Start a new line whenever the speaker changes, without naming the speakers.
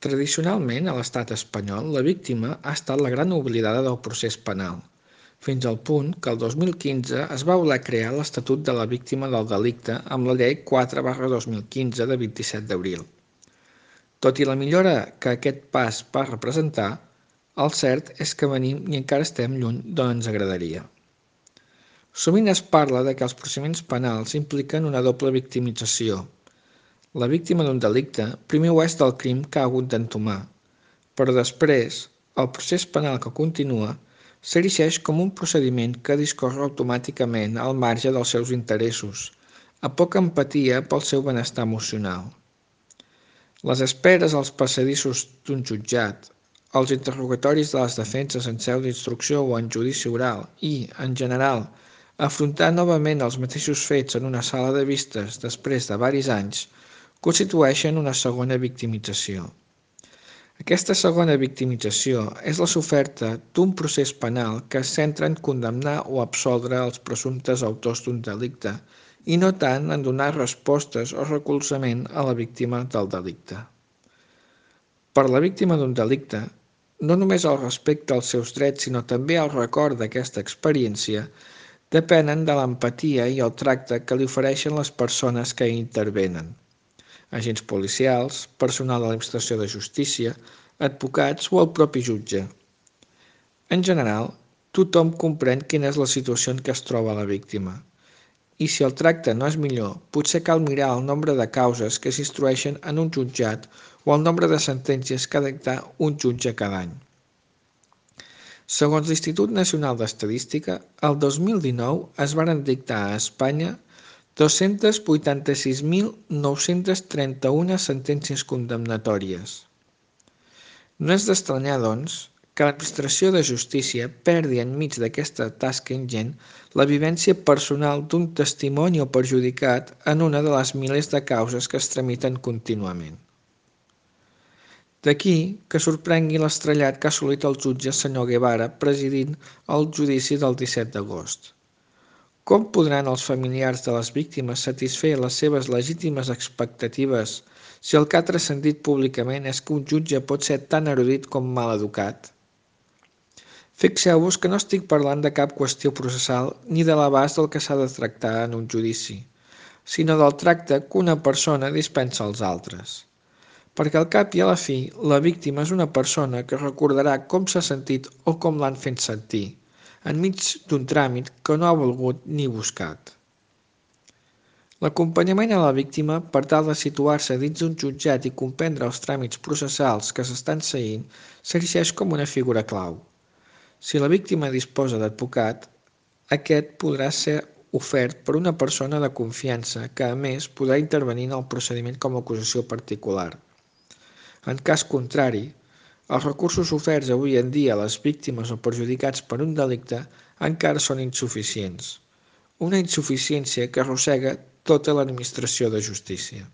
Tradicionalment, a l'estat espanyol, la víctima ha estat la gran oblidada del procés penal, fins al punt que el 2015 es va voler crear l'Estatut de la Víctima del Delicte amb la Llei 4/2015 de 27 d'abril. Tot i la millora que aquest pas va representar, el cert és que venim i encara estem lluny d'on ens agradaria. Sovint es parla de que els procediments penals impliquen una doble victimització. La víctima d'un delicte primer ho és del crim que ha hagut d'entomar, però després, el procés penal que continua s'erigeix com un procediment que discorre automàticament al marge dels seus interessos, a poca empatia pel seu benestar emocional. Les esperes als passadissos d'un jutjat, els interrogatoris de les defenses en seu d'instrucció o en judici oral i, en general, afrontar novament els mateixos fets en una sala de vistes després de varis anys constitueixen una segona victimització. Aquesta segona victimització és la soferta d'un procés penal que es centra en condemnar o absoldre els presumptes autors d'un delicte i no tant en donar respostes o recolzament a la víctima del delicte. Per la víctima d'un delicte, no només el respecte als seus drets, sinó també el record d'aquesta experiència, depenen de l'empatia i el tracte que li ofereixen les persones que hi intervenen. Agents policials, personal de l'administració de justícia, advocats o el propi jutge. En general, tothom comprèn quina és la situació en què es troba la víctima. I si el tracte no és millor, potser cal mirar el nombre de causes que s'instrueixen en un jutjat o el nombre de sentències que ha dictar un jutge cada any. Segons l'Institut Nacional d'Estadística, el 2019 es varen dictar a Espanya 286.931 sentències condemnatòries. No és d'estranyar, doncs, que l'administració de justícia perdi enmig d'aquesta tasca ingent la vivència personal d'un testimoni o perjudicat en una de les milers de causes que es tramiten contínuament. D'aquí que sorprengui l'estrellat que ha assolit el jutge senyor Guevara presidint el judici del 17 d'agost. Com podran els familiars de les víctimes satisfer les seves legítimes expectatives si el que ha transcendit públicament és que un jutge pot ser tan erudit com mal educat? Fixeu-vos que no estic parlant de cap qüestió processal ni de l'abast del que s'ha de tractar en un judici, sinó del tracte que una persona dispensa als altres. Perquè al cap i a la fi, la víctima és una persona que recordarà com s'ha sentit o com l'han fet sentir, enmig d'un tràmit que no ha volgut ni buscat. L'acompanyament a la víctima per tal de situar-se dins d'un jutjat i comprendre els tràmits processals que s'estan seguint s'erigeix com una figura clau. Si la víctima disposa d'advocat, aquest podrà ser ofert per una persona de confiança que, a més, podrà intervenir en el procediment com a acusació particular. En cas contrari, els recursos oferts avui en dia a les víctimes o perjudicats per un delicte encara són insuficients. Una insuficiència que arrossega tota l'administració de justícia.